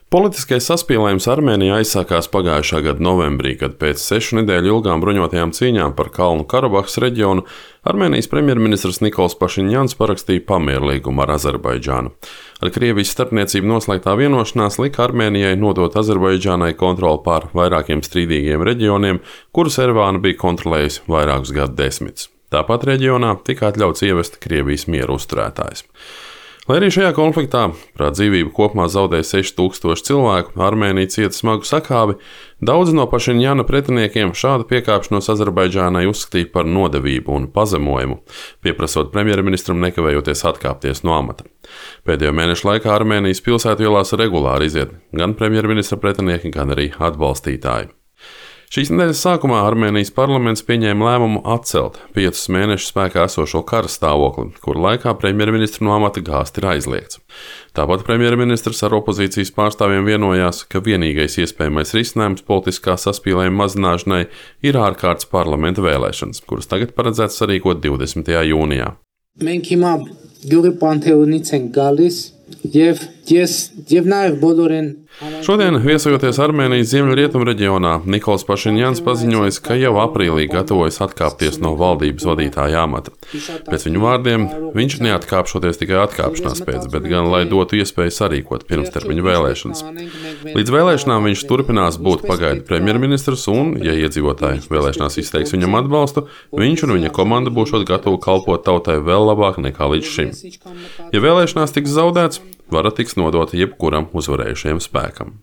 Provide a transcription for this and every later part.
Politiskais saspīlējums Armēnijā aizsākās pagājušā gada novembrī, kad pēc 6 nedēļu ilgām bruņotajām cīņām par Kalnu Karabahas reģionu Armēnijas premjerministrs Nikols Pašiņjans parakstīja pamierlīgumu ar Azerbaidžānu. Ar Krievijas starpniecību noslēgtā vienošanās lika Armēnijai nodot Azerbaidžānai kontroli pār vairākiem strīdīgiem reģioniem, kurus Erevāna bija kontrolējusi vairākus gadsimtus. Tāpat reģionā tika atļauts ievest Krievijas mieru uzturētājus. Lai arī šajā konfliktā prāt dzīvību kopumā zaudēja 6000 cilvēku, Armēnija cieta smagu sakāvi, daudzi no Pašiņjana pretiniekiem šādu piekāpšanos Azerbaidžānai uzskatīja par nodevību un pazemojumu, pieprasot premjerministram nekavējoties atkāpties no amata. Pēdējo mēnešu laikā Armēnijas pilsētielās regulāri iziet gan premjerministra pretinieki, gan arī atbalstītāji. Šīs nedēļas sākumā Armēnijas parlaments pieņēma lēmumu atcelt 5 mēnešus spēkā esošo kara stāvokli, kura laikā premjerministru no amata gāzt ir aizliegts. Tāpat premjerministrs ar opozīcijas pārstāvjiem vienojās, ka vienīgais iespējamais risinājums politiskā saspīlējuma mazināšanai ir ārkārtas parlamenta vēlēšanas, kuras tagad paredzēts sarīkot 20. jūnijā. Մենք հիմա գյուղի պանթեոնից ենք գալիս եւ նաեւ բոլորեն Šodien, viesojoties Armēnijas ziemeļrietumu reģionā, Nikols Pašiņjans paziņojis, ka jau aprīlī gatavojas atkāpties no valdības vadītāja amata. Pēc viņu vārdiem, viņš neatkāpšoties tikai atkāpšanās pēc, bet gan lai dotu iespēju sarīkot pirmstermiņu vēlēšanas. Līdz vēlēšanām viņš turpinās būt pagaidu premjerministrs un, ja iedzīvotāji vēlēšanās izteiks viņam atbalstu, viņš un viņa komanda būšot gatavi kalpot tautai vēl labāk nekā līdz šim. Ja vēlēšanās tiks zaudēts, vara tiks nodota jebkuram uzvarējušajam spēkam.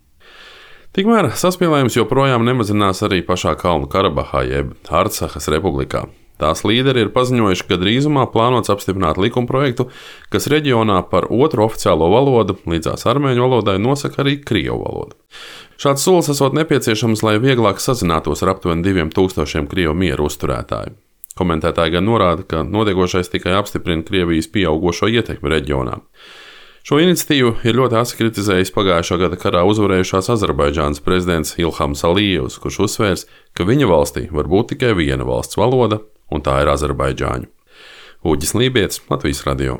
Tikmēr saspīlējums joprojām nemazinās arī pašā Kalnu Karabahā jeb Artsahas republikā. Tās līderi ir paziņojuši, ka drīzumā plānots apstiprināt likumprojektu, kas reģionā par otru oficiālo valodu līdzās armēņu valodai nosaka arī krievu valodu. Šāds solis esot nepieciešams, lai vieglāk sazinātos ar aptuveni 2000 krievu mieru uzturētāju. Komentētāji gan norāda, ka notiekošais tikai apstiprina Krievijas pieaugošo ietekmi reģionā. Šo iniciatīvu ir ļoti asi kritizējis pagājušā gada karā uzvarējušās Azerbaidžānas prezidents Ilhams Alijevs, kurš uzsvērs, ka viņa valstī var būt tikai viena valsts valoda, un tā ir azerbaidžāņu. Uģis Lībietis, Latvijas radio.